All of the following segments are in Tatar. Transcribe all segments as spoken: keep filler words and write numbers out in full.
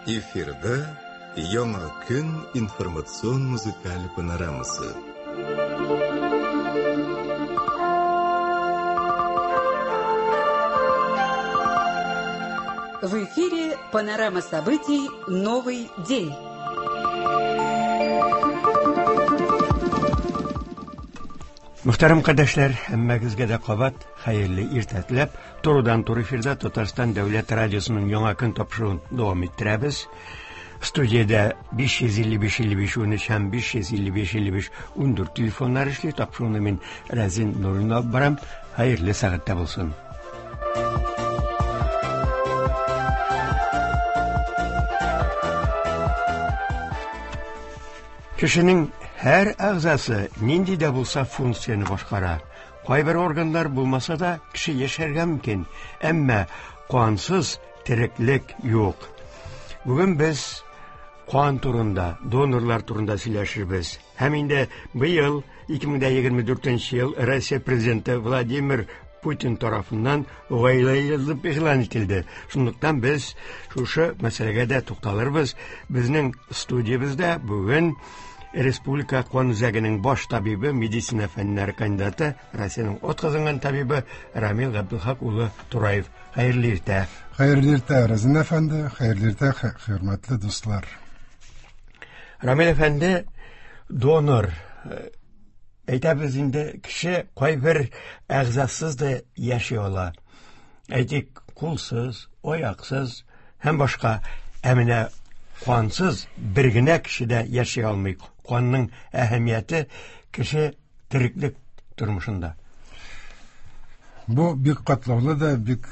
Эфирда Яңа көн информацион музыкаль панорамасы. В эфире панорама событий «Новый день». Мөхтәрәм кардәшләр, һәммәгезгә дә кабат хәерле иртә теләп, турыдан-туры эфирда Татарстан Дәүләт радиосының Яңа көн тапшыруын дәвам иттерәбез. Студиядә биш йөз илле биш илле биш унөч һәм биш йөз илле биш илле биш ундүрт телефоннар эшли. Тапшыруны мин Рәзин Нуруллин алып барам. Хәерле сәгатьтә булсын. Кешенең һәр әгъзасы нинди дә булса функцияне башкара. Кайбер органнар булмаса да кеше яшәргә мөмкин, әмма кансыз тереклек юк. Бүген без кан турында, донорлар турында сөйләшербез. Һәм инде быел ике мең егерме дүртенче ел Россия президенты Владимир Путин тарафыннан гаилә елы дип игълан ителде. Шунлыктан без шушы мәсьәләгә дә тукталырбыз. Безнең студиябездә бүген Республика кан үзәгенең баш табибы, медицина фәннәре кандидаты, Россиянең атказанган табибы Рамил Габдулхак улы Тураев. Хәерле иртә. Хәерле иртә, Разин әфәнде, хәерле иртә, хөрмәтле дуслар. Рамил әфәнде, донор. Әйтәбез инде, кеше кайбер әгъзасыз да яши ала. Әйтик, кулсыз, аяксыз һәм башка. Ә менә кансыз бер генә кеше дә яши алмый. Канның әһәмияте кеше тереклек тормышында. Бу бик катлаулы да, бик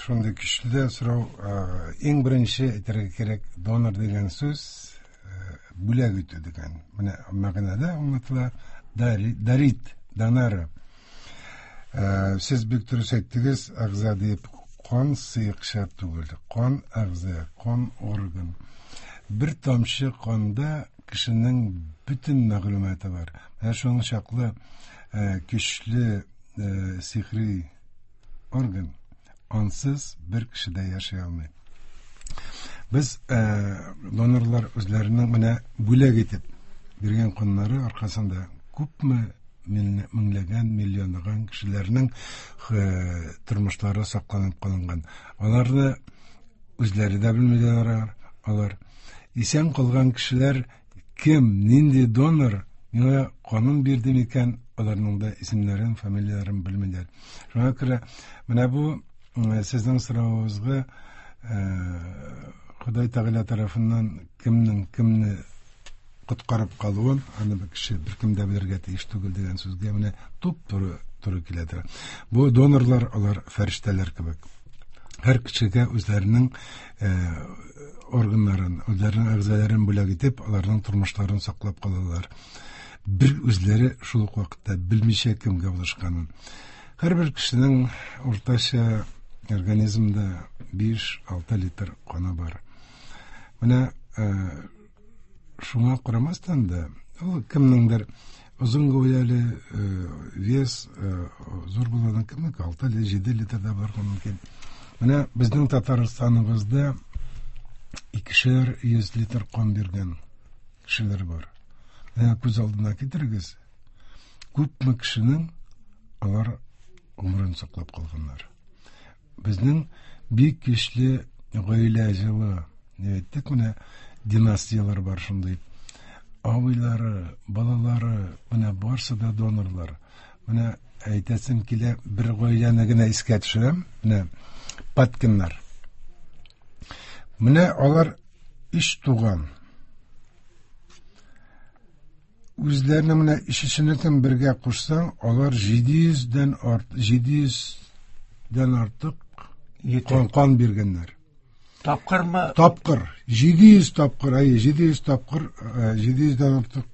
шундый көчле дә сорау. Иң беренче әйтергә кирәк, донор дигән сүз бүләк итү дигән. Менә мәгънәдә аңлатыла. Дарит, донора. Сез бик дөрес әйттегез, әгъза дип, кан сыекча түгел, кан әгъза, кан орган. Бер тамчы канда кешенең бөтен мәгълүматы бар. Менә шуның чаклы көчле сихри орган. Ансыз бер кеше дә яши алмый. Без донорлар үзләренең менә бүләк итеп биргән каннары аркасында күпме меңләгән, миллионлаган кешеләрнең тормышлары сакланып калынган. Аларны үзләре дә белмиләр, алар исән калган кешеләр кем, нинди донор миңа канын бирде микән, аларның да исемнәрен, фамилияләрен белмиләр. Шуңа күрә менә бу сезнең соравыгызга Ходай Тәгалә тарафыннан кемнең кемне коткарып калуын аны бер кеше беркем дә белергә тиеш түгел дигән сүзгә менә туп-туры туры килә тора. Бу донорлар алар фәрештәләр кебек. Һәр кешегә үзләренең органнарын, үзләренең әгъзаларын бүләк итеп, аларның тормышларын саклап калалар. Бер үзләре шул ук вакытта белмичә кемгә булышканын. Һәрбер кешенең уртача организмда биш-алты литр каны бар. Менә шуңа карамастан да, ул кемнеңдер озын гәүдәле, вес зур булган кемнеке алты җиде литр да барырга мөмкин. Менә безнең Татарстаныбызда икешәр йөз литр кан биргән кешеләр бар. Менә күз алдына китерегез, күпме кешенең алар гомерен саклап калганнар. Безнең бик көчле гаилә җылы, дип әйттек, менә династиялар бар шундый. Абыйлары, балалары, менә барсы да донорлар. Менә әйтәсем килә, бер гаиләне генә искә төшерәм, менә Паткиннар. Менә алар өч туган. Үзләренең менә өчесенекен бергә кушсаң, алар җиде йөздән арт, җиде йөздән артык кан, кан биргәннәр. Тапкырмы? Тапкыр. Җиде йөз тапкыр, әйе, җиде йөз тапкыр, җиде йөздән артык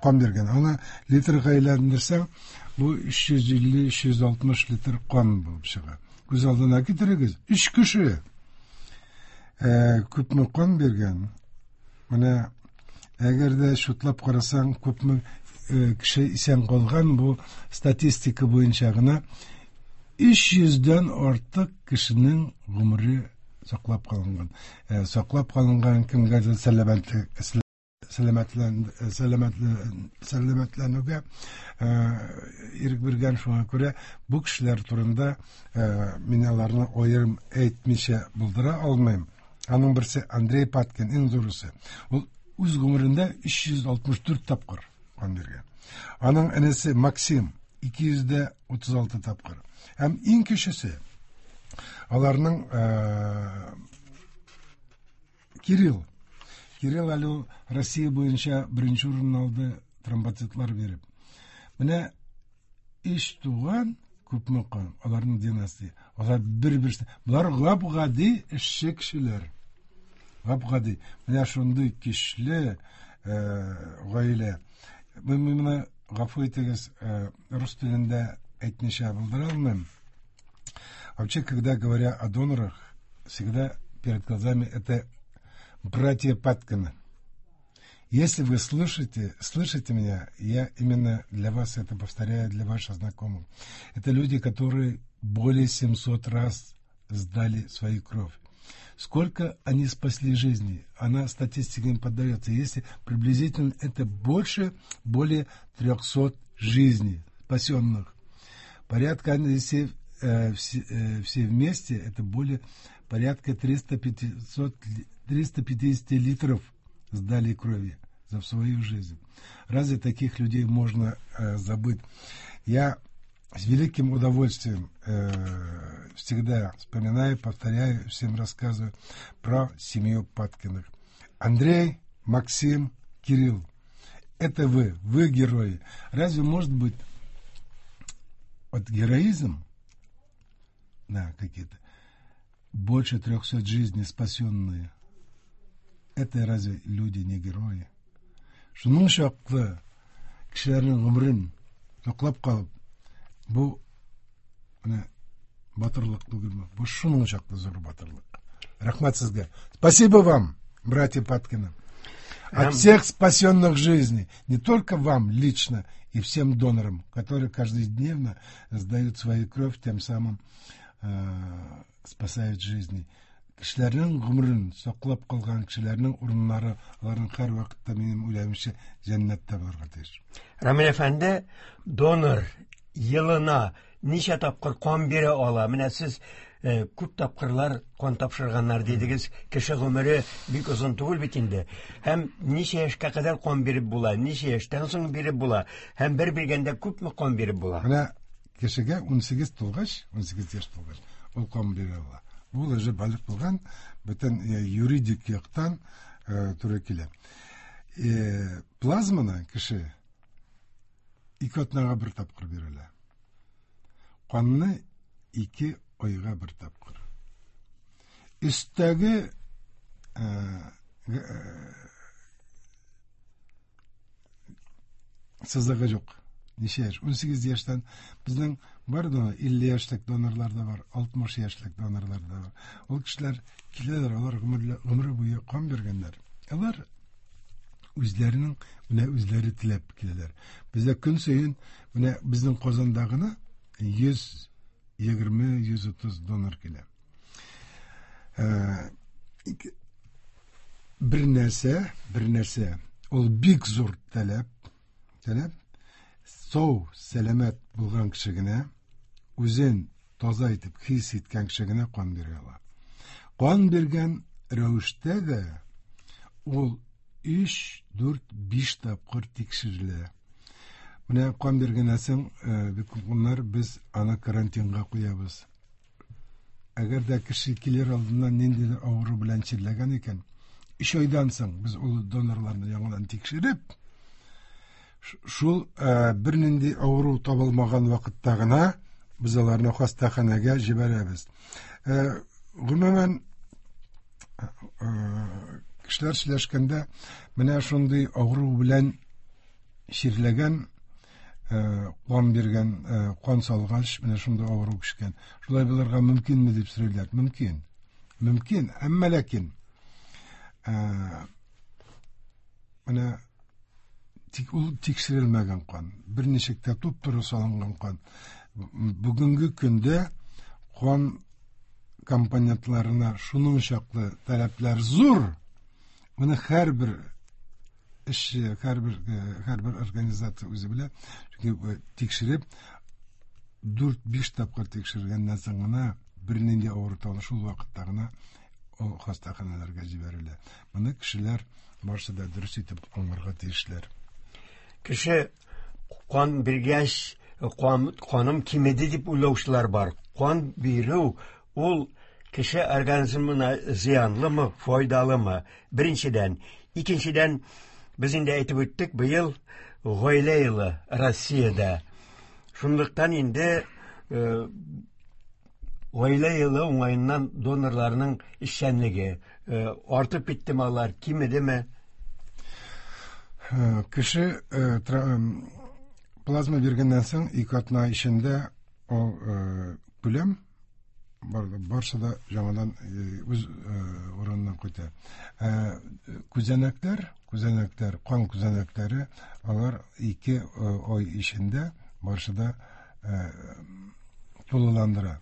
кан биргән. Аны литрга әйләндерсәң, бу өч йөз илле, өч йөз алтмыш литр кан булып чыга. Күз алдына китерегез, өч кеше күпме кан биргән. Менә әгәр дә шутлап карасаң, күпме кеше исән калган, бу статистика буенча гына өч йөздән артык кешенең гомере саклап калынган. Саклап калынган кемгәдер сәламәтлек, сәламәтләнүгә ирек биргән. Шуңа күрә бу кешеләр турында мин аларны аерым әйтмичә булдыра алмыйм. Аның берсе Андрей Паткин, иң зурысы. Ул үз гомерендә өч йөз алтмыш дүрт тапкыр кан биргән. Аның энесе Максим ике йөз дә утыз алты тапкыр. Һәм иң кечесе аларның Кирилл. Кирилл әле ул Россия буенча беренче урын алды тромбоцитлар биреп. Менә өч туган күпме кан, аларның династия. Алар бер-берсе. Болар гап-гади эшче кешеләр. Гап-гади. Менә шундый көчле гаилә. Мин моны, гафу итегез, рус телендә әйтмичә булдыра алмыйм. Вообще, когда говоря о донорах, всегда перед глазами это братья Паткины. Если вы слышите, слышите меня, я именно для вас это повторяю, для ваших знакомых. Это люди, которые более семисот раз сдали свою кровь. Сколько они спасли жизни, она статистике не поддается. Если приблизительно это больше, более трёхсот жизней спасенных. Порядка, если, э, все, э, все вместе, это более порядка триста пятидесяти литров сдали крови за свою жизнь. Разве таких людей можно э, забыть? Я с великим удовольствием э, всегда вспоминаю, повторяю, всем рассказываю про семью Паткиных. Андрей, Максим, Кирилл. Это вы, вы герои. Разве может быть вот героизм, да, какие-то, больше трехсот жизней спасенные? Это разве люди не герои? Шуның чаклы кешеләрнең гомерен саклап калып, бу менә батырлык түгелме? Бу шуның чаклы зур батырлык. Рәхмәт сезгә. Спасибо вам, братья Паткины. От всех спасенных жизней, не только вам лично и всем донорам, которые каждодневно сдают свою кровь, тем самым э, спасают жизни. Кешеләрнең гомерен саклап калган кешеләрнең урыннары, аларның һәр вакытта, минем уйлавымча, җәннәттә булырга тиеш. Рамил әфәнде, донор елына ничә тапкыр кан бирә ала? Менә сез күп тапкырлар кан тапшырганнар дидегез. Кеше гомере бик озын түгел бит инде. Һәм ничә яшькә кадәр кан биреп була, ничә яшьтән соң биреп була, һәм бер биргәндә күпме кан биреп була? Менә кешегә унсигез тулгач, унсигез яшь тулгач, ул кан бирә ала. Ул уже балигъ булган, бөтен юридик яктан туры килә. Плазманы кеше ике атнага бер тапкыр бирелә. Канны ике айга бер тапкыр. Өстәге сызыгы юк. Ничә яшь? Унсигез яшьтән безнең бар да илле яшьлек донорлар да бар, алтмыш яшьлек донорлар да бар. Ул кешеләр киләләр, алар гомере буе кан биргәннәр. Алар үзләренең менә үзләре теләп киләләр. Бездә көн саен менә безнең Казанда гына йөз егерме, йөз утыз донор килә. Бер нәрсә, бер нәрсә, ул бик зур таләп, таләп. Сау, сәламәт булган кеше генә, үзен таза итеп хис иткән кеше генә кан бирә ала. Кан биргән рәвештә дә ул өч, дүрт, биш тапкыр тикшерелә. Менә кан биргәннән соң, бик күп көннәр без аны карантинга куябыз. Әгәр дә кеше килер алдыннан ниндидер авыру белән чирләгән икән, өч айдан соң без ул донорларны яңадан тикшереп, шул бернинди авыру табылмаган вакытта гына без аларны хастаханәгә җибәрәбез. Гомумән, кешеләр сөйләшкәндә менә шундый авыру белән чирләгән, кан биргән, кан салгач, менә шундый авыру кешкән. Шулай булырга мөмкинме дип сорыйлар. Мөмкин. Мөмкин, әмма ләкин менә тик ул тикшерелмәгән кан, берничек тә туп-туры салынган кан. Бүгенге көндә кан Компонентларына шуның чаклы таләпләр зур. Моны һәрбер эшче, һәрбер һәрбер организация үзе белә. Чөнки тикшереп дүрт-биш тапкыр тикшергәннән соң гына бернинди авыру табыла, шул вакытта гына ул хастаханәләргә җибәрелә. Моны кешеләр барысы да дөрес итеп аңларга тиешләр. Кеше кан биргәч, кан, каным кимеде дип уйлаучылар бар. Кан бирү ул кеше организмына зыянлымы, файдалымы? Беренчедән. Икенчедән, без инде әйтеп үттек, быел гаилә елы Россиядә. Шунлыктан инде э, гаилә елы уңаеннан донорларның эшчәнлеге э, артып киттеме алар, кимедеме? Э, Кеше э, тра- м, плазма биргәннән соң ике атна эчендә ул э, күләм бар, барысы да яңадан э, үз э, урынына кайта. Ә, күзәнәкләр, күзәнәкләр, кан күзәнәкләре алар ике э, ай эчендә барысы да э, тулыландыра.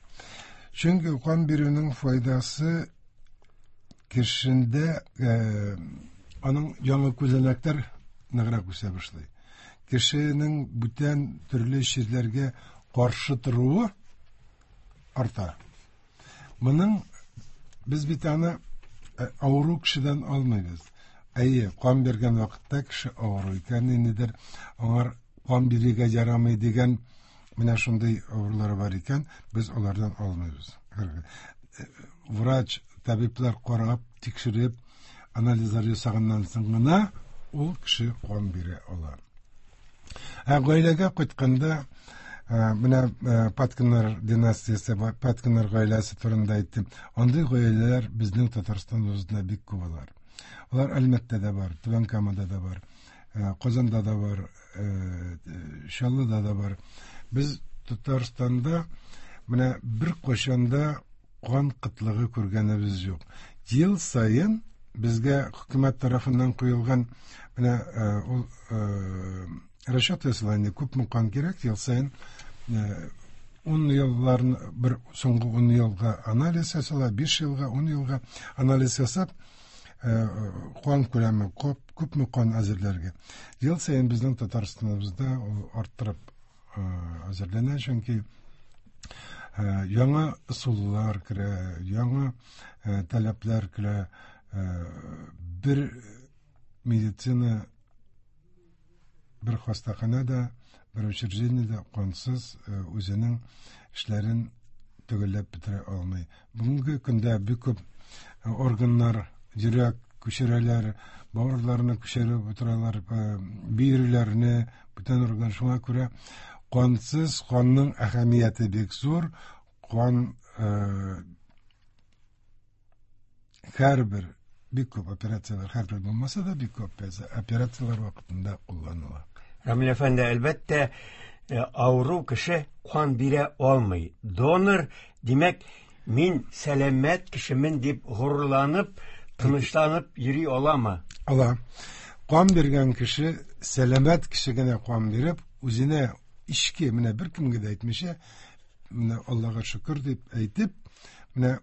Чөнки кан бирүнең файдасы кешендә э, аның яңа күзәнәкләр ныграк үсә башлый. Кешенең бүтән төрле чирләргә каршы торуы арта. Моның без бит аны э, авыру кешедән алмыйбыз. Әйе, кан биргән вакытта кеше авыру икән, ниндидер аңар кан бирергә ярамый дигән менә шундый авырулар бар икән, без алардан алмыйбыз. Э, Врач, табиблар карап, тикшереп, анализлар ясаганнан соң гына ул кеше кан бирә ала. Ә гаиләгә кайтканда, э, менә э, Паткиннар династиясе, Паткиннар гаиләсе турында әйттем. Андый гаиләләр безнең Татарстаныбызда бик күп алар. Алар Әлмәттә дә бар, Түбән Камада да бар, э, Казанда да бар, э, Чаллыда да бар. Без Татарстанда менә бер кайчан да кан кытлыгы күргәнебез юк. Ел саен безгә хөкүмәт тарафыннан куелган менә э, ул э, расчет ясала инде, күпме кан кирәк ел саен, э, ун елларын бер соңгы ун елга анализ ясала, биш елга, ун елга анализ ясап, э, кан күләме күп, күпме кан әзерләргә. Ел саен безнең Татарстаныбызда ул арттырып э, әзерләнә, чөнки э, яңа ысуллар керә, яңа э, таләпләр керә, э, бер медицина, бер хастаханә бер учреждение дә кансыз э, үзенең эшләрен төгәлләп бетерә алмый. Бүгенге көндә бик күп э, органнар, йөрәк күчерәләр, бавырларны күчереп утыралар, э, бөерләрне, бүтән орган. Шуңа күрә кансыз, канның әһәмияте бик зур. Кан э, һәрбер бик күп операцияләр, һәрбер булмаса да, бик күп операцияләр вакытында кулланыла. Рамил әфәнде, әлбәттә, э, авыру кеше кан бирә алмый. Донор, димәк, мин сәламәт кешемен дип горурланып, тынычланып йөри аламы? Ала. Кан биргән кеше, сәламәт кеше генә кан биреп, үзенә ичке, менә беркемгә дә әйтмичә, менә Аллага шөкер дип әйтеп, менә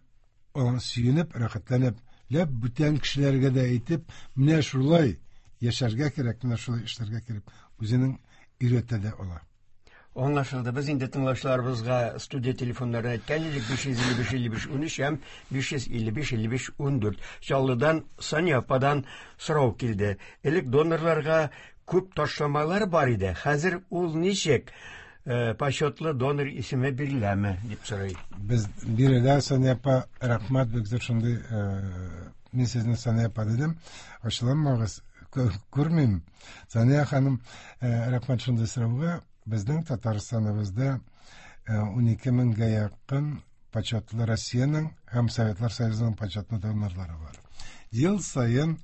аңа сөенеп, рәхәтләнеп, ләп бүтән кешеләргә дә әйтеп, менә шулай яшәргә кирәк, менә шулай эшләргә кирәк, үзенең өйрәтә дә ала. Аңлашылды. Без инде тыңлаучыларыбызга студия телефоннарын әйткән идек: биш йөз илле биш илле биш унөч һәм биш йөз илле биш илле биш ундүрт. Чаллыдан Сания ападан сорау килде. Элек донорларга күп ташламалар бар иде. Хәзер ул ничек? Э, почетлы донор исеме биреләме дип сорый. Без бирелә, Сания апа, рәхмәт бик зур шундый, э, мин сезне Сания апа дидем. Ачуланмагыз, күрмим. Сания ханым, э, рәхмәт шундый сорауга. Безнең Татарстаныбызда унике меңгә якын почетлы Россиянең һәм Советлар Союзының почетлы донорлары бар. Ел саен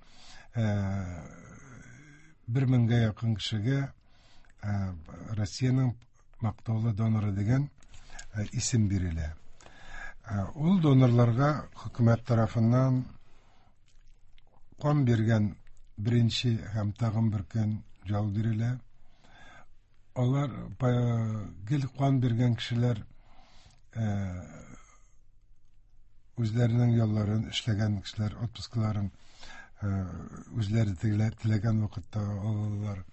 бер меңгә якын кешегә Россиянең мактаулы доноры дигән исем бирелә. Ул донорларга хөкүмәт тарафыннан кан биргән беренче һәм тагын бер көн ял бирелә. Алар гел кан биргән кешеләр Үзләренең ялларын эшләгән кешеләр отпускларын үзләре теләгән вакытта алалар.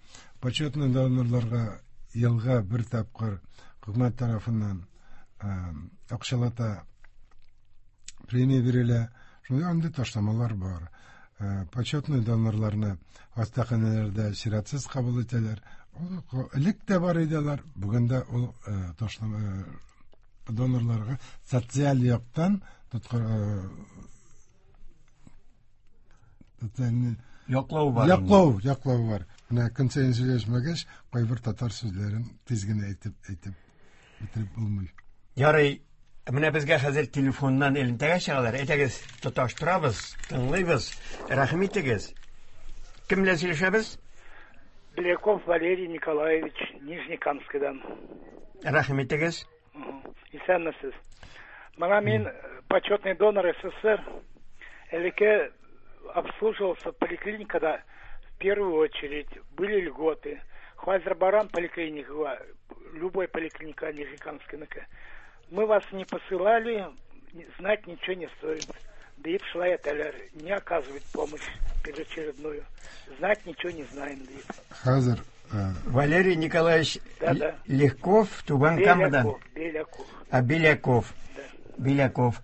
Почетный донорларга елга бер тапкыр хөкүмәт тарафыннан акчалата премия бирелә. Шундый андый ташламалар бар. Почетный донорларны хастаханәләрдә чиратсыз кабул итәләр. Элек тә бар иде алар, бүген дә ул ташлама донорларга социаль яктан яклау бар. Яклау, яклау бар. Менә көн саен сөйләшмәгәч, кайбер татар сүзләрен тиз генә әйтеп, әйтеп бетереп булмый. Ярый, менә безгә хәзер телефоннан элемтәгә чыгалар. Әйтегез, тоташтырабыз, тыңлыйбыз. Рәхим итегез. Кем белән сөйләшәбез? Беляков Валерий Николаевич, Нижнекамскидан. Рәхим итегез. Исәнмесез. Менә мин почетный донор СССР. Элекке обслуживался поликлиникада в первую очередь. Были льготы. Хазер барам поликлиника, любой поликлиника Нижнекамская. Мы вас не посылали, знать ничего не стоит. Да и шла это, не оказывает помощь переочередную. Знать ничего не знаем. Хазер. Валерий Николаевич, да, да. Легков, Тубан Камадан. Беляков. А, Беляков. Да. Беляков.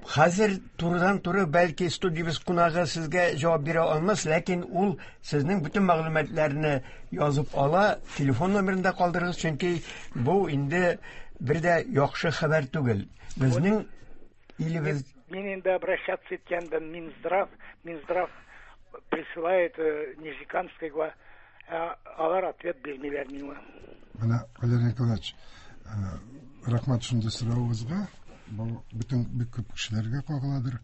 Хәзер турыдан-туры бәлки студиябез кунагы сезгә җавап бирә алмас, ләкин ул сезнең бөтен мәгълүматларны язып ала, телефон номерын да калдырыгыз, чөнки бу инде бер дә яхшы хәбәр түгел. Безнең илебез Мин инде обращаться иткәндә Минздрав, Минздрав присылает Нижнекамского, алар ответ бирмиләр миңа. Менә Валерий Николаевич, рәхмәт шундый соравыгызга. Бу бөтен бик күп кешеләргә кагыладыр.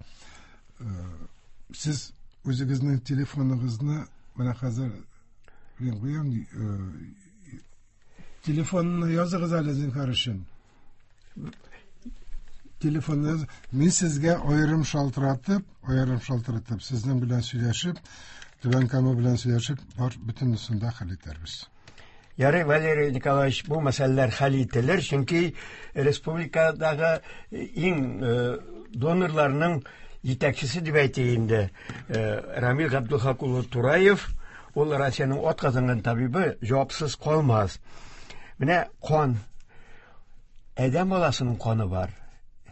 Сез үзегезнең телефоныгызны менә хәзер мин куям, телефонны языгыз әле зинһар өчен. Телефонны мин сезгә аерым шалтыратып, аерым шалтыратып, сезнең белән сөйләшеп, Түбән Кама белән сөйләшеп, бар бөтенесен дә хәл итәрбез. Ярый, Валерий Николаевич, бу мәсьәләләр хәл ителер, чөнки республикадагы иң донорларның җитәкчесе дип әйтик инде, Рамил Габдулхак улы Тураев, ул Россиянең атказанган табибы, җавапсыз калмас. Менә кан, адәм баласының каны бар,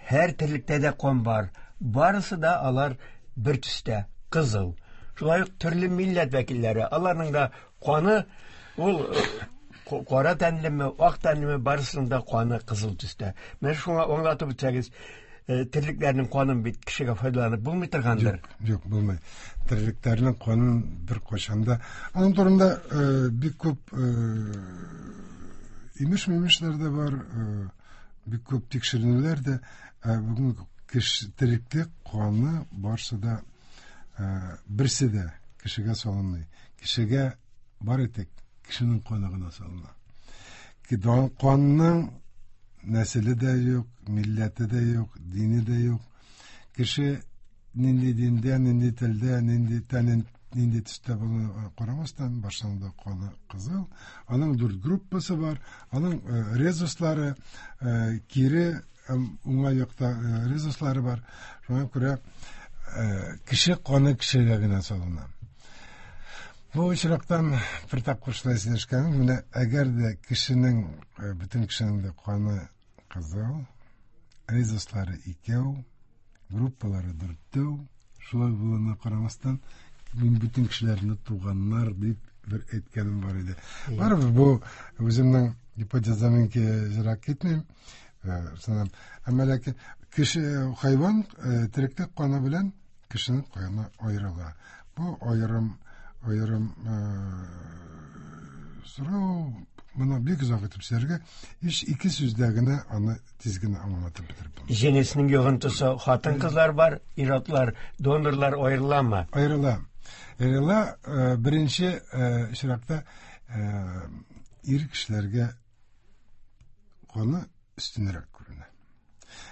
һәр терлектә дә кан бар, барысы да алар бер төстә, кызыл. Шулай ук төрле милләт вәкилләре, аларның да каны ул кара тәнлеме, ак тәнлеме, барысының да каны кызыл төстә. Менә шуңа аңлатып үтсәгез, терлекләрнең канын бит кешегә файдаланып булмый торгандыр. Юк, юк, булмый. Терлекләрнең канын бер кайчан да. Аның турында бик күп имеш-мимешләр дә бар, бик күп тикшеренүләр дә. Бүген кеше тереклек каны барсы да, берсе дә кешегә салынмый. Кешегә бар итек кешенең каны гына салына. Канның нәселе дә юк, милләте дә юк, дине дә юк. Кеше нинди диндә, нинди телдә, нинди тәнен, нинди төстә булуына карамастан, башында каны кызыл. Аның дүрт группасы бар, аның резуслары, кире уңай якта резуслары бар. Шуңа күрә кеше каны кешегә генә салына. Бу очрактан бер тапкыр шулай сөйләшкән, менә әгәр дә кешенең, бөтен кешенең дә каны кызыл, резуслары икәү, группалары дүртәү, шулай булуына карамастан, мин бөтен кешеләрне туганнар дип бер әйткәнем бар иде. Барыбер бу үземнең гипотезам ерак китмим. Әмма ләкин кеше, хайван тереклек каны белән кешенең каны аерыла. Бу аерым аерым сорау, моны бик озак итеп сөйләргә, иш ике сүздә генә аны тиз генә аңлатып бетереп булмый. Җенесенең йогынтысы хатын-кызлар бар, ир-атлар, донорлар аерыламы? Аерыла. Аерыла, беренче очракта ир кешеләргә каны өстенрәк күренә.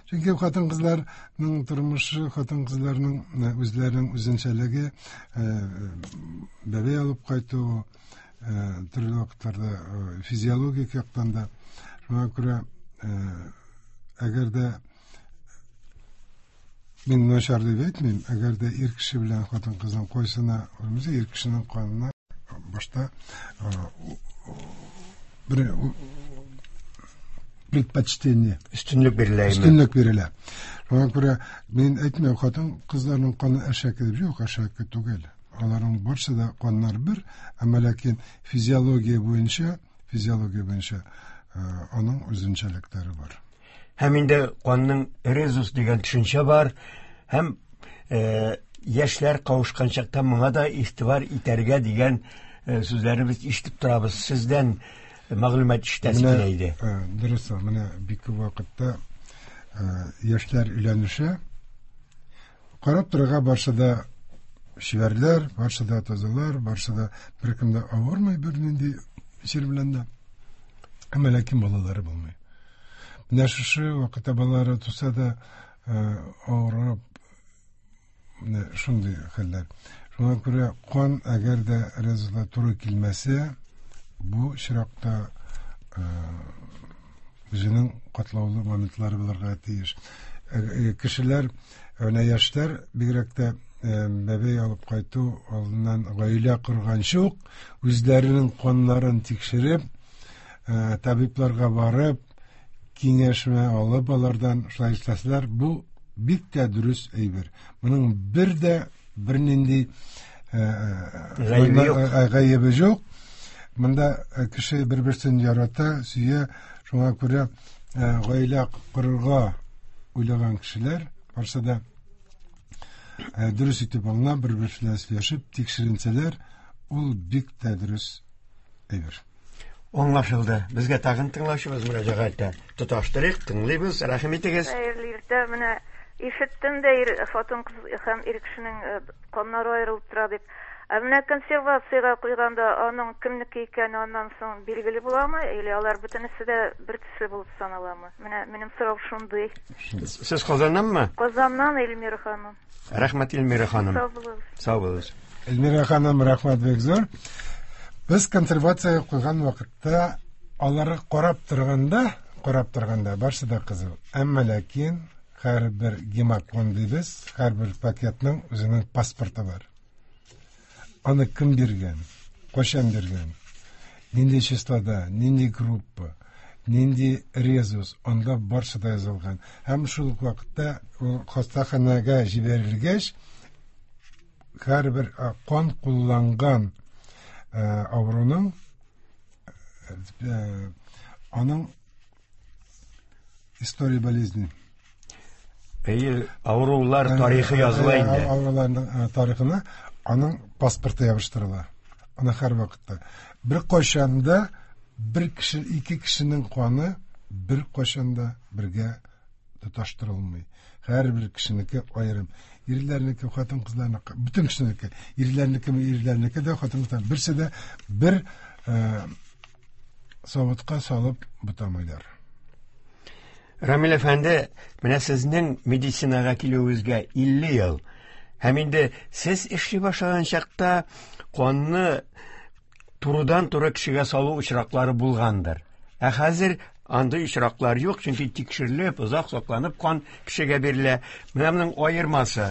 Чөнки хатын-кызларның тормышы, хатын-кызларның үзләренең үзенчәлеге, бәбәй алып кайту, төрле вакытларда физиологик яктан да. Шуңа күрә, әгәр дә Мин начар дип әйтмим, әгәр дә ир кеше белән хатын-кызның кайсына үрмәсә, ир кешенең канына башта бер предпочтение, өстенлек бирелә. Өстенлек бирелә. Шуңа күрә мин әйтмим, хатын-кызларның каны әшәке дип, юк, әшәке түгел. Аларның барсы да каннар бер, әмма ләкин физиология буенча, физиология буенча аның үзенчәлекләре бар. Һәм инде канның резус дигән төшенчә бар, һәм э, яшьләр кавышкан чакта моңа да игътибар итәргә дигән э, сүзләрне без ишетеп торабыз. Сездән мәгълүмат ишетәсе килә иде. Дөрес, менә бик күп вакытта яшьләр өйләнешә. Карап торырга барсы да чибәрләр, барсы да тазалар, барсы да беркем дә авырмый бернинди чир белән дә. Әмма ләкин балалары булмый. Менә шушы вакытта балалары туса да авырып, менә шундый хәлләр. Шуңа күрә кан әгәр дә резуска туры килмәсә, бу очракта үзенең катлаулы моментлары булырга тиеш. Кешеләр, менә яшьләр бигрәк тә бәбәй алып кайту алдыннан гаилә корганчы ук үзләренең каннарын тикшереп, табибларга барып, киңәшмә алып алардан шулай эшләсәләр, бу бик тә дөрес әйбер. Моның бер дә бернинди гаебе юк. Монда кеше бер-берсен ярата, сөя, шуңа күрә гаилә корырга уйлаган кешеләр барсы да дөрес итеп аңлап, бер-берсе белән сөйләшеп, тикшеренсәләр, ул бик тә дөрес әйбер. Аңлашылды. Безгә тагын тыңлаучыбыз мөрәҗәгать итә. Тоташтырыйк, тыңлыйбыз. Рәхим итегез. Хәерле иртә. Менә ишеттем дә ир хатын-кыз һәм ир кешенең каннары аерылып тора дип. Ә менә консервациягә куйганда аның кемнеке икәне аннан соң билгеле буламы, или алар бөтенесе дә бер төсле булып саналамы? Менә минем сорау шундый. Сез Казаннанмы? Казаннан, Эльмира ханым. Рәхмәт, Эльмира ханым. Сау булыгыз. Сау булыгыз. Эльмира ханым, рәхмәт бик зур. Без консервациягә куйган вакытта аларга карап торганда, карап торганда барсы да кызыл. Әмма ләкин һәрбер гемокон дибез, һәрбер пакетның үзенең паспорты бар. Аны кем биргән, кайчан биргән, нинди числода, нинди группа, нинди резус, анда барсы да язылган. Һәм шул ук вакытта ул хастаханәгә җибәрелгәч, һәрбер кан кулланган авыруның аның история болезни. Әйе, авырулар тарихы языла инде. Авыруларның тарихына аның паспорты ябыштырыла. Аны һәр вакытта. Бер кайчан да бер кеше, ике кешенең каны бер кайчан да бергә тоташтырылмый. Һәрбер кешенеке аерым. Ирләрнеке, хатын-кызларныкы, бөтен кешенеке, ирләрнеке, ирләрнеке дә, хатын-кызлар берсе дә бер савытка салып бутамыйлар. Рамил әфәнде, менә сезнең медицинага килүегезгә илле ел. Һәм инде сез эшли башлаган чакта канны турыдан-туры кешегә салу очраклары булгандыр. Ә хәзер андый очраклар юк, чөнки тикшерелеп, озак сакланып кан кешегә бирелә. Менә моның аермасы.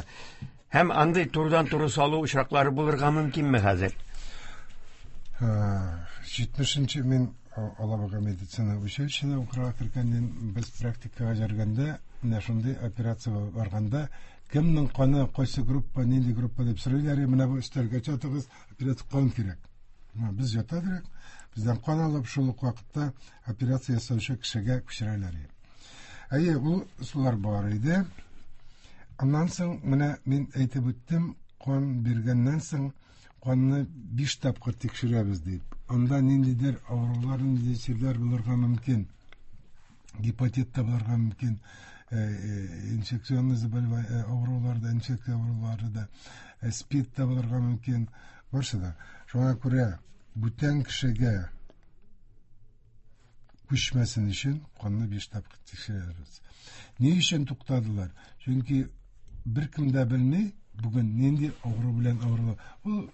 Һәм андый турыдан-туры салу очраклары булырга мөмкинме хәзер? Җитмешенче мин Алабуга медицина училищесына укырга кергәннән без практикага йөргәндә, менә шундый операция барганда, кемнең каны, кайсы группа, нинди группа дип сорыйлар, менә бу өстәлгә чатыгыз, операция кан кирәк. Без ята дирек, бездән кан алып, шул ук вакытта операция ясаучы кешегә күчерәләр. Әйе, ул ысуллар бар иде. Аннан соң менә мин әйтеп үттем, кан биргәннән соң канны биш тапкыр тикшерәбез дип. Анда ниндидер авырулар, ниндидер чирләр булырга мөмкин. Гепатит та булырга мөмкин, инфекционный заболевание авырулар да, инфекция авырулары да, СПИД та булырга мөмкин. Барсы да. Шуңа күрә бүтән кешегә күчмәсен өчен канны биш тапкыр тикшерәбез. Ни өчен туктадылар? Чөнки беркем дә белми бүген нинди авыру белән авырыла. Ул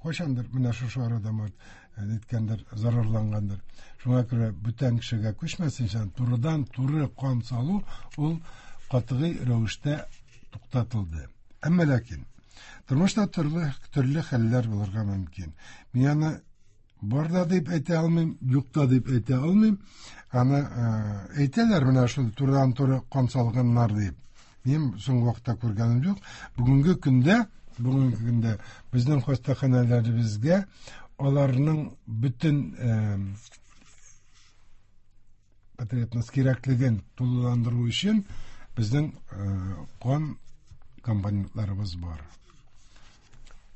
кайчандыр менә шушы арада ниткәндер, зарарлангандыр. Шуңа күрә бүтән кешегә күчмәсен өчен турыдан туры кан салу ул катгый рәвештә туктатылды. Әмма ләкин тормышта төрле төрле хәлләр булырга мөмкин. Мин аны бар да дип әйтә алмыйм, юк та дип әйтә алмыйм. Аны әйтәләр менә шул турыдан-туры кан салганнар дип. Мин соңгы вакытта күргәнем юк. Бүгенге көндә, бүгенге көндә безнең хастаханәләребезгә аларның бөтен потребность кирәклеген тулыландыру өчен безнең кан компонентларыбыз бар.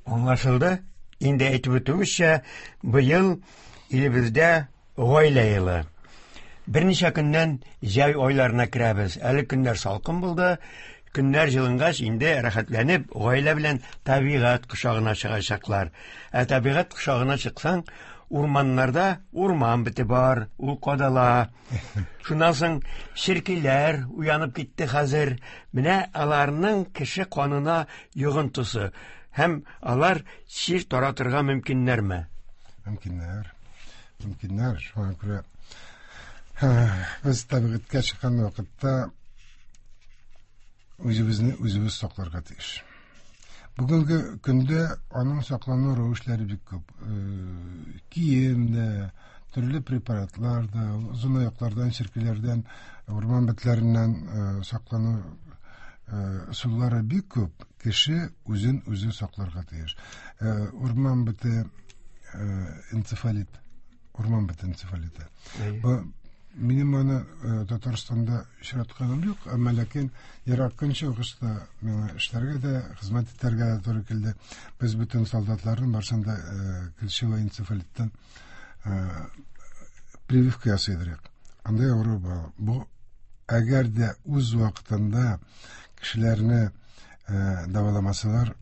Аңлашылды. Инде әйтеп үтүемезчә, быел илебездә гаилә елы. Берничә көннән җәй айларына керәбез. Әле көннәр салкын булды. Көннәр җылынгач, инде рәхәтләнеп гаилә белән табигать кочагына чыгачаклар. Ә табигать кочагына чыксаң, урманнарда урман бете бар, ул кадала. Шуннан соң черкиләр уянып китте хәзер. Менә аларның кеше канына йогынтысы. Һәм алар чир таратырга мөмкиннәрме? Мөмкиннәр. Мөмкиннәр. Шуңа күрә без табигатькә чыккан вакытта үзебезне үзебез сакларга тиеш. Бүгенге көндә аның саклану рәвешләре бик күп. Кием дә, төрле препаратлар да, озынаяклардан, черкиләрдән, урман бетләреннән саклану ысуллары бик күп. Кеше үзен үзе сакларга тиеш. Урман бете энцефалит, урман бете энцефалиты. Бу минем аны Татарстанда очратканым юк, әмма ләкин Ерак Көнчыгышта миңа эшләргә дә, хезмәт итәргә дә туры килде. Без бөтен солдатларның барысын да клещевой энцефалиттан прививка ясыйдык. Андай авыру бар. Бу әгәр дә үз вакытында кешеләрне дәваламасалар,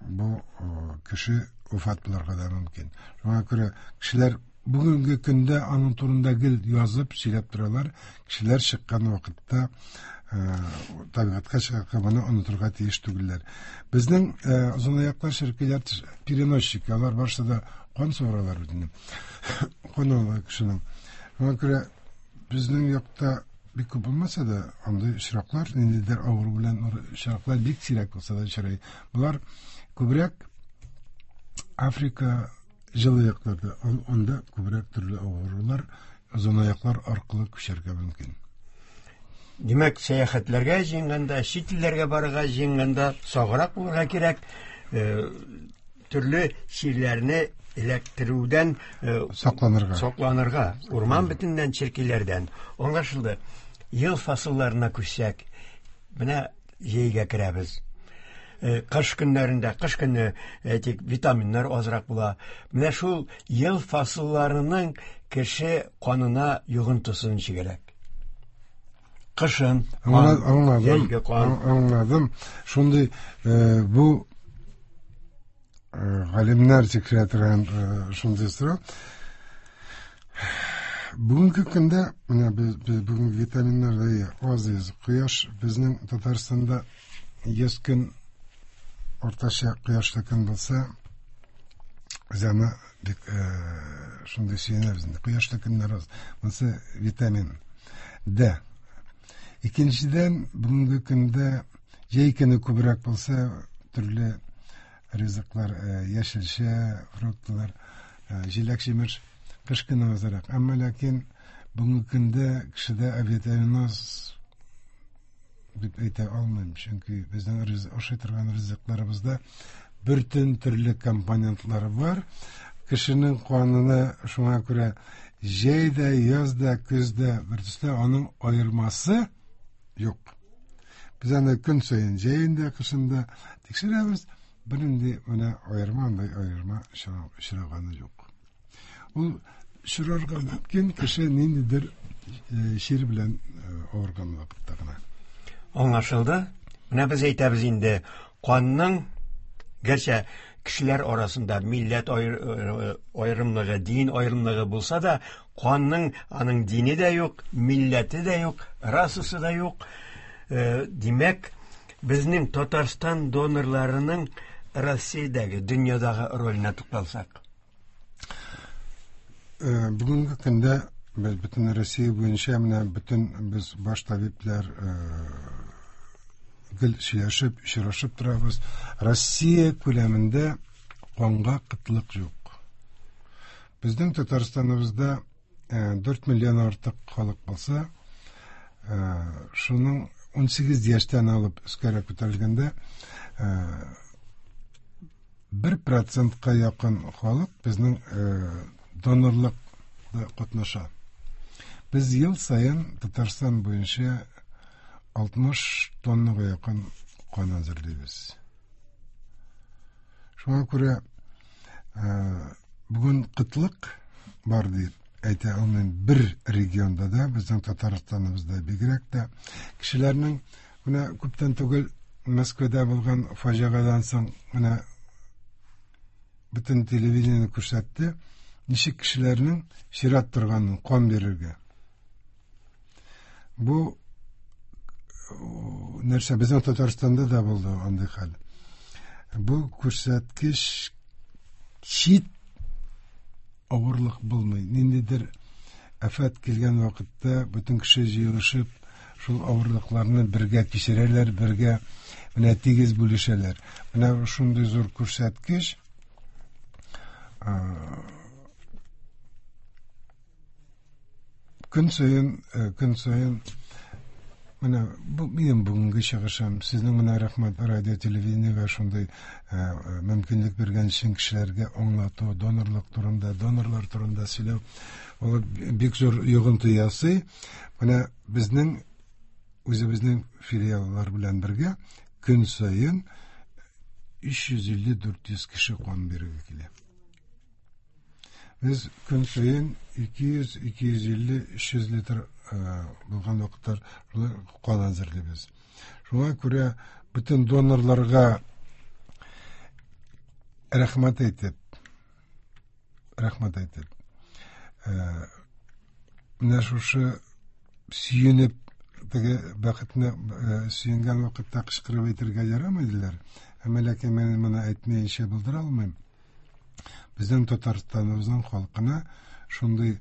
бу кеше вафат булырга да мөмкин. Шуңа күрә кешеләр бүгенге көндә аның турында гел язып, сөйләп торалар. Кешеләр чыккан вакытта табигатькә чыгарга моны онытырга тиеш түгелләр. Безнең озынаяклар, черкиләр переносчик, алар барысы да кан суыралар бит инде. Кан ала кешенең. Шуңа күрә безнең якта бик күп булмаса да, андый очраклар, ниндидер авыру белән очраклар бик сирәк булса да очрый. Болар күбрәк Африка җылы якларда, анда күбрәк төрле авырулар озынаяклар аркылы күчәргә мөмкин. Димәк, сәяхәтләргә җыенганда, чит илләргә барырга җыенганда саграк булырга кирәк, төрле чирләрне эләктерүдән сакланырга. Сакланырга, урман бетеннән, черкиләрдән. Аңлашылды. Ел фасылларына күчсәк, менә җәйгә керәбез. Кыш көннәрендә, кыш көне әйтик, витаминнар азрак була. Менә шул ел фасылларының кеше канына йогынтысын ничегрәк? Кышын, аңладым, аңладым. Шундый бу галимнәр тикшерә торган шундый сорау. Бүгенге көндә менә без бүгенге витаминнар да аз. Кояш безнең Татарстанда йөз көн уртача кояшлы көн булса, без аны бик шундый сөенәбез инде. Кояшлы көннәр аз. Монысы витамин Д. Икенчедән, бүгенге көндә җәй көне күбрәк булса, төрле ризыклар, яшелчә, фруктлар, җиләк-җимеш кыш көне азрак. Әмма ләкин бүгенге көндә кешедә авитаминоз дип әйтә алмыйм, чөнки безнең ашый торган ризыкларыбызда бөтен төрле компонентлары бар. Кешенең канына шуңа күрә җәй дә, яз да, көз дә бер төсле, аның аермасы юк. Без аны көн саен җәен дә, кышын да тикшерәбез. Бернинди менә аерма, андай аерма очраганы юк. Ул очрарга мөмкин кеше ниндидер чир белән авырган вакытта гына. Аңлашылды. Менә без әйтәбез инде, канның, гәрчә кешеләр арасында милләт аерымлыгы, дин аерымлыгы булса да, канның аның дине дә юк, милләте дә юк, расасы да юк. Димәк, безнең Татарстан донорларының Россиядәге, дөньядагы роленә тукталсак. Бүгенге көндә без бөтен Россия буенча менә бөтен без баш табиблар гел сөйләшеп, очрашып торабыз. Россия күләмендә канга кытлык юк. Безнең Татарстаныбызда дүрт миллион артык халык булса, шуның ун сигез яшьтән алып өскәрәк күтәрелгәндә бер процентка якын халык безнең донорлыкта катнаша. Без ел саен Татарстан буенча алтмыш тоннага якын кан әзерлибез. Шуңа күрә бүген кытлык бар дип әйтә алмыйм. Бер регионда да, безнең Татарстаныбызда бигрәк тә кешеләрнең менә күптән түгел Мәскәүдә булган фаҗигадан соң менә бөтен телевидение күрсәтте, ничек кешеләрнең чират торганын кан бирергә. Бу нәрсә безнең Татарстанда да булды андый хәл. Бу күрсәткеч чит авырлык булмый. Ниндидер афәт килгән вакытта бөтен кеше җыелышып шул авырлыкларны бергә кичерәләр, бергә менә тигез бүлешәләр. Менә шундый зур күрсәткеч. Көн саен, көн саен менә бу минем бүгенге чыгышым. Сезнең менә рәхмәт радио телевидениегә шундый мөмкинлек биргән өчен кешеләргә аңлату, донорлык турында, донорлар турында сөйләү ул бик зур йогынты ясый. Менә безнең үзебезнең филиаллар белән бергә көн саен өч йөз илле дүрт йөз кеше кан бирергә килә. Без көн саен ике йөз, ике йөз илле, өч йөз литр булган вакытлар кан әзерлибез. Шуңа күрә бөтен донорларга рәхмәт әйтеп, рәхмәт әйтеп, менә шушы сөенеп, теге бәхетне сөенгән вакытта кычкырып әйтергә ярамый диләр. Әмма ләкин мин моны әйтмәенчә булдыра алмыйм. Безнең Татарстаныбызның халкына шундый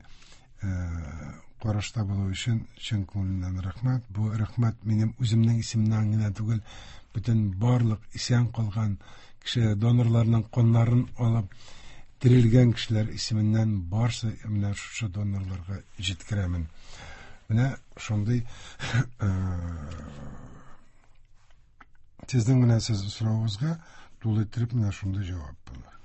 карашта булу өчен чын күңелемнән рәхмәт. Бу рәхмәт минем үземнең исемнән генә түгел, бөтен барлык исән калган кеше донорларның каннарын алып терелгән кешеләр исеменнән барсы менә шушы донорларга җиткерәмен. Менә шундый сезнең менә сез соравыгызга тулы итеп менә шундый җавап булыр.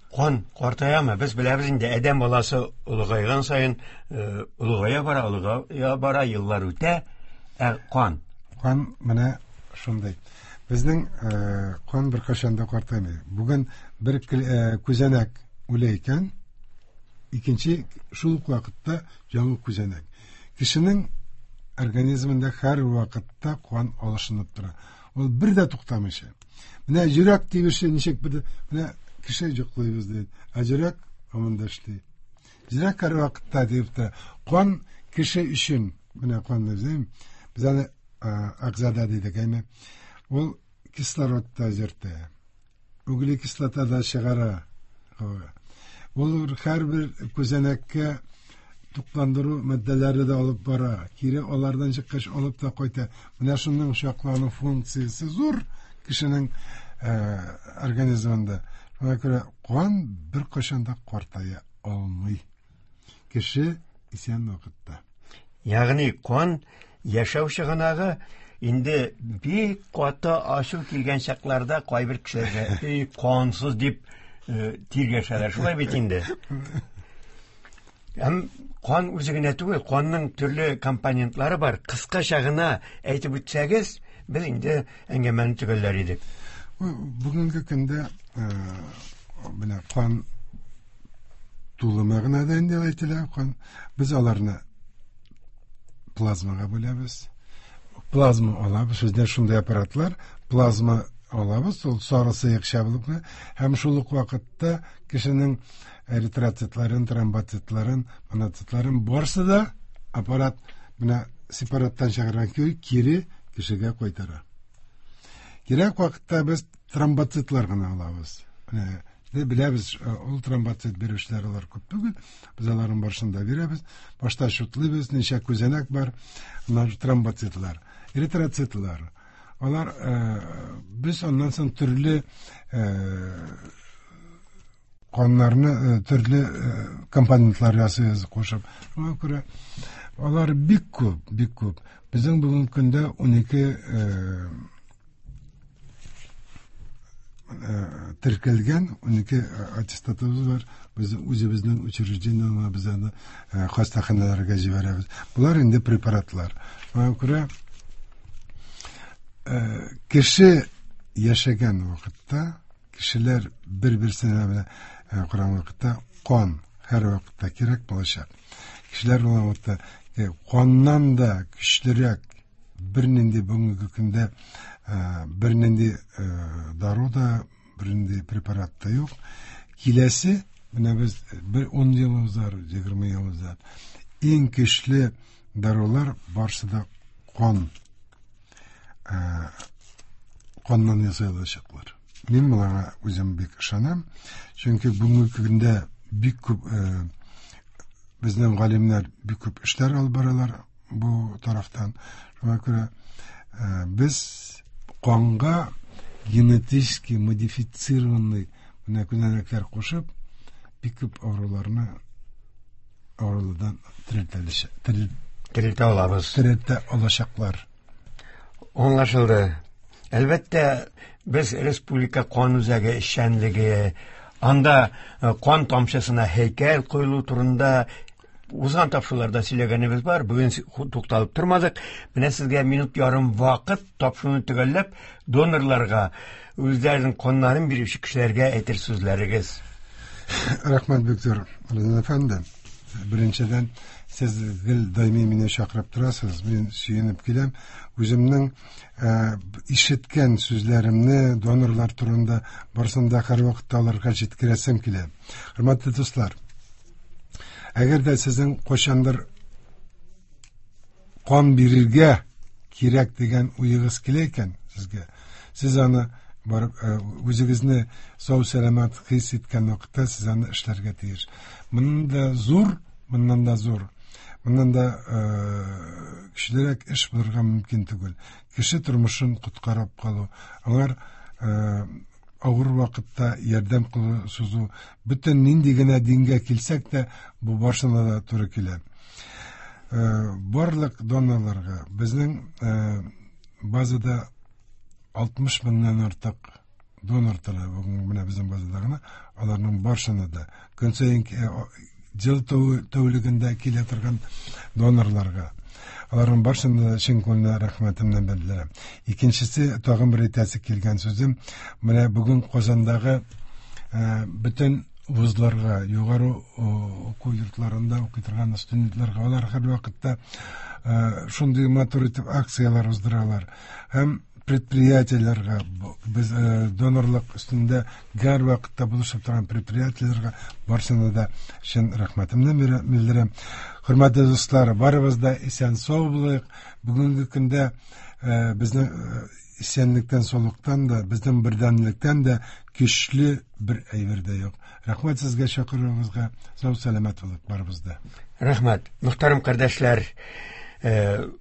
Кан картаямы? Без беләбез инде, адәм баласы олыгайган саен олыгая бара, олыгая бара, еллар үтә, ә кан кан менә шундый. Безнең кан беркайчан да картаймый. Бүген бер күзәнәк үлә икән, икенче шул ук вакытта яңа күзәнәк. Кешенең организмында һәр вакытта кан алышынып тора. Ул бер дә туктамыйча. Менә йөрәк тибеше ничек бер менә кеше йоклыйбыз ди. Ә йөрәк һаман да эшли. Йөрәк һәр вакытта дип тора. Кан кеше өчен, менә кан дим, без аны әгъзада дидек, әйме. Ул кислород та йөртә. Углекислота да чыгара. Ул һәрбер күзәнәккә тукландыру матдәләре дә алып бара. Кире алардан чыккач алып та кайта. Менә шуның чаклану функциясе зур кешенең организмында. Шуңа күрә кан беркайчан да картая алмый. Кеше исән вакытта. Ягъни кан яшәү чыганагы. Инде бик каты ачу килгән чакларда кайбер кешеләргә эй кансыз дип тиргәшәләр. Шулай бит инде. Һәм кан үзе генә түгел, канның төрле компонентлары бар. Кыскача гына әйтеп үтсәгез, без инде әңгәмәне төгәлләр идек. Бүгенге көндә менә кан тулы мәгънәдә инде әйтелә, кан. Без аларны плазмага бүләбез. Плазма алабыз, бездә шундый аппаратлар, плазма алабыз, ул сары сыекча булып, һәм шул ук вакытта кешенең эритроцитларын, тромбоцитларын, моноцитларын барсы да аппарат менә сепараттан чыгарган көй кире кешегә кайтара. Кирәк вакытта без тромбоцитлар гына алабыз. Менә беләбез, ул тромбоцит бирүчеләр алар күп түгел, без аларның барысын да бирәбез. Башта шутлыйбыз, ничә күзәнәк бар, аннан тромбоцитлар, эритроцитлар, Алар без аннан соң төрле каннарны, төрле компонентлар ясыйбыз кушып. Шуңа күрә алар бик күп, бик күп. Безнең бүгенге көндә ун ике теркәлгән ун ике аттестатыбыз бар. Без үзебезнең учреждениеләргә, без аны хастаханәләргә җибәрәбез. Болар инде препаратлар. Шуңа күрә кеше яшәгән вакытта, кешеләр бер-берсенә белән караган вакытта кан һәр вакытта кирәк булачак. Кешеләр булган вакытта каннан да көчлерәк бернинди бүгенге көндә бернинди дару да, бернинди препарат та юк. Киләсе, менә без бер ун ел узар, егерме ел узар. Иң көчле дарулар барсы да кан, каннан ясалачаклар. Мин моңа үзем бик ышанам, чөнки бүгенге көндә бик күп безнең галимнәр бик күп эшләр алып баралар бу тарафтан. Шуңа күрә без канга генетически модифицированный менә күзәнәкләр кушып бик күп авыруларны авырулардан терелтә алабыз. Терелтә алачаклар. Аңлашылды. Әлбәттә, без республика кан үзәге эшчәнлеге, анда кан тамчысына һәйкәл куелу турында узган тапшыруларда сөйләгәнебез бар. Бүген тукталып тормадык. Менә сезгә минут ярым вакыт тапшыруны төгәлләп, донорларга, үзләренең каннарын бирүче кешеләргә әйтер сүзләрегез. Рәхмәт, Виктор Розан әфәнде. Беренчедән, сез гел даими мине чакырып торасыз. Мин сөенеп киләм. Үземнең ишеткән сүзләремне донорлар турында барысын да һәрвакытта аларга җиткерәсем килә. Хөрмәтле дуслар, әгәр дә сезнең кайчандыр кан бирергә кирәк дигән уегыз килә икән сезгә, сез аны барып үзегезне сау сәламәт хис иткән вакытта сез аны эшләргә тиеш. Моннан да зур, моннан да зур, моннан да көчлерәк эш булырга мөмкин түгел. Кеше тормышын коткарып калу, алар авыр вакытта ярдәм кылу сузу, бөтен нинди генә дингә килсәк тә, бу барысына да туры килә. Барлык донорларга безнең базада алтмыш меңнән артык донор тора бүген менә безнең базада гына, аларның барысына да көн саен ел тәүлегендә килә торган донорларга, аларның барысына да чын күңелдән рәхмәтемне белдерәм. Икенчесе, тагын бер әйтәсе килгән сүзем, менә бүген Казандагы бөтен вузларга, югары уку йортларында укый торган студентларга, алар һәрвакытта шундый матур итеп акцияләр уздыралар. Һәм предприятиеләргә, без донорлык өстендә һәрвакытта булышып торган предприятиеләргә барысына да чын рәхмәтемне белдерәм. Хөрмәтле дуслар, барыбыз да исән-сау булыйк. Бүгенге көндә безнең исәнлектән, саулыктан да, безнең бердәмлектән дә көчле бер әйбер дә юк. Рәхмәт сезгә чакыруыгызга. Сау сәламәт булыйк барыбыз да. Рәхмәт. Мөхтәрәм кардәшләр,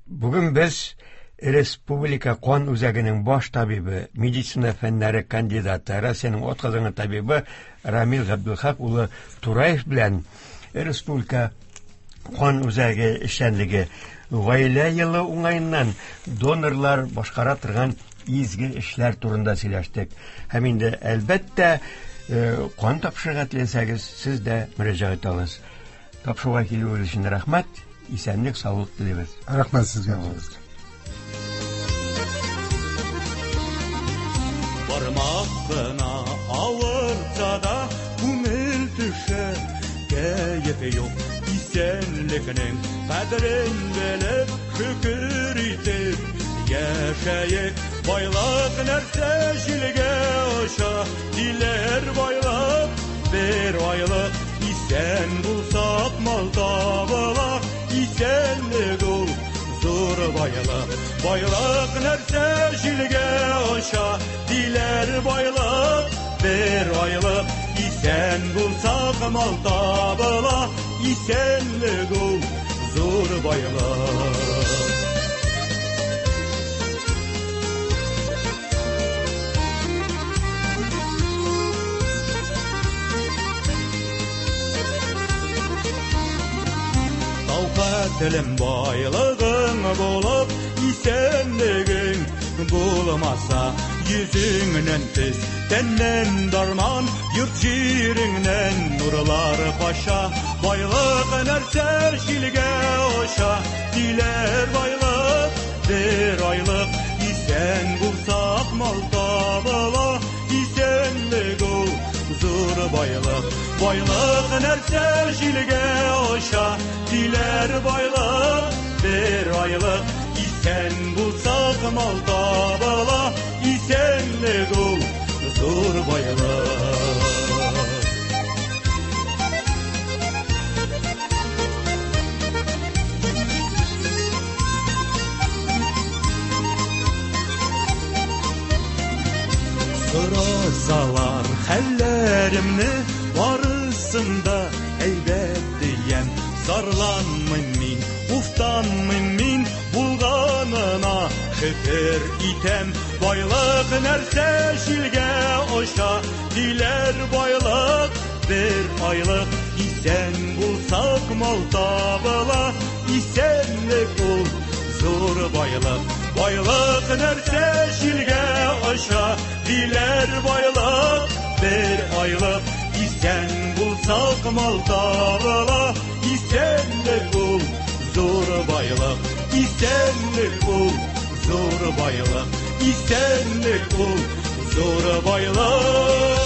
бүген без Республика кан үзәгенең баш табибы, медицина фәннәре кандидаты, Россиянең атказанган табибы Рамил Габдулхак улы Тураев белән Республика кан үзәге эшчәнлеге, гаилә елы уңаеннан донорлар башкара торган изге эшләр турында сөйләштек. Һәм инде әлбәттә, кан тапшырырга теләсәгез, сез дә мөрәҗәгать итә аласыз. Тапшыруга килүегез өчен рәхмәт, исәнлек, саулык телибез. Рәхмәт сезгә. Бармак кына авыртса да күңел төшә, кәеф юк, исәнлекнең кадерен белеп, шөкер итеп яшәйек. Байлык нәрсә җилгә оча, диләр байлык бер айлык, исән булсак мал табыла, исәнлек ул зур байлык. Байлык нәрсә җилгә оча, диләр байлык бер айлык, исән булсак мал табыла, исәнлек ул зур байлык. Тиклем байлыгың булып, исәнлегең булмаса, йөзеңнән төс, тәннән дарман, йорт җиреңнән нурлар кача. Байлык нәрсә җилгә оча, диләр байлык бер айлык. Исән булсак мал табыла, исәнлек ул зур байлык. Байлык нәрсә җилгә оча, диләр байлык бер айлык. Исән булсак мал табыла, исәнлек ул зур байлык. Сорасалар хәлләремне, барысын да әйбәт дигән. Зарланмыйм мин, уфтанмыйм мин, булганына шөкер итәм. Байлык нәрсә җилгә оча, диләр байлык бер айлык. Исән булсак мал табыла, исәнлек ул зур байлык. Байлык нәрсә җилгә оча, диләр байлык бер айлык. Исән булсак мал табыла, исәнлек ул зур байлык. Исәнлек ул зур байлык. Исәнлек ул зур байлык.